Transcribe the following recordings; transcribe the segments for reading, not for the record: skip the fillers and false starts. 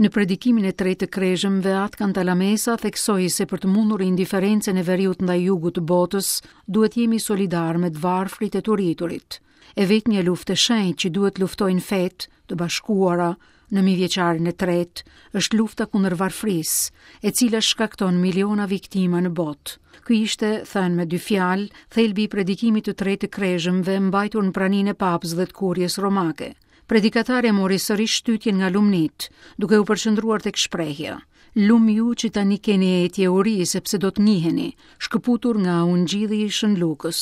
Në predikimin e tretë të Krezhëmve, At Cantalamessa theksoi se për të mundur indiferencën e veriut ndaj jugut të botës, duhet jemi solidarë me të varfrit e të uriturit. E vetmja luftë e shenjtë që duhet të luftojnë fetë të bashkuara në mijëvjeçarin e tretë është lufta kundër varfërisë, e cila shkakton miliona viktima në botë. Ky ishte, thënë me dy fjalë, thelbi i predikimit të tretë të Krezhëmve mbajtur në praninë e Papës dhe të Kuries Romake. Predikatari e mori sërish shtytjen nga lumnitë, duke u përqendruar tek shprehja: Lum ju që tani keni etje e uri, sepse do të ngiheni, shkëputur nga Ungjilli i Shën Lukës.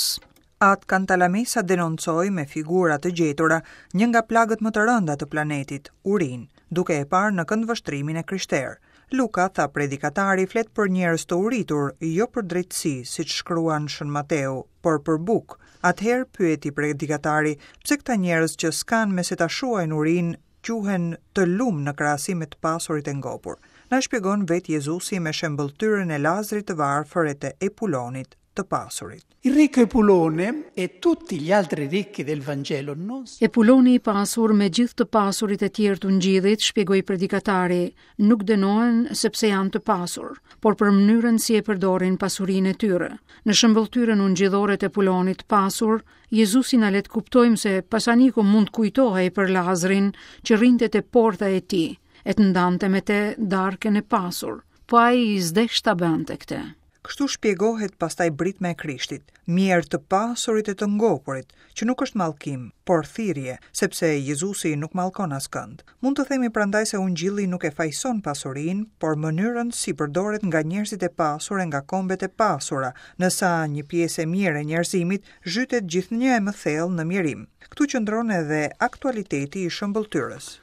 At Cantalamessa denoncoi me figura të gjetura një nga plagët më të rënda të planetit, urinë, duke e parë në këndvështrimin e krishterë. Luka, tha predikatari, flet për njerëz të uritur, jo për drejtësi, siç shkruan Shën Mateu, por për bukë. Atëherë, pyeti predikatari, pse këta njerëz që s'kanë me se ta shuajnë urinë, quhen të lum në krahasim me të pasurit e ngopur? Na shpjegon vetë Jezusi me shembëlltyrën e Lazrit të varfër e të Epulonit të pasurit. Il ricco Epulone e tutti gli altri ricchi del Vangelo non Epuloni i pasur me gjithë të pasurit e tjerë të Ungjillit, shpjegoi predikatari, nuk dënohen sepse janë të pasur, por për mënyrën si e përdorin pasurinë e tyre. Në shembëlltyrën ungjillore të Epulonit të pasur, Jezusi na le të kuptojmë se pasaniku mund të kujtohej për Lazrin që rrinte te porta e tij, e të ndante me te darkën e pasur, po ai s'desh ta bënte këtë. Kështu shpjegohet pastaj britma e Krishtit, Mjerë të pasurit e të ngopurit, që nuk është mallkim, por thirrje, sepse Jezusi nuk mallkon askënd. Mund të themi prandaj se Ungjilli nuk e fajëson pasurinë, por mënyrën si përdoret nga njerëzit e pasur e nga kombet e pasura, në sa një pjesë e mirë e njerëzimit zhytet gjithnjë e më thellë në mjerim. Këtu qëndron edhe aktualiteti i shëmbëlltyrës.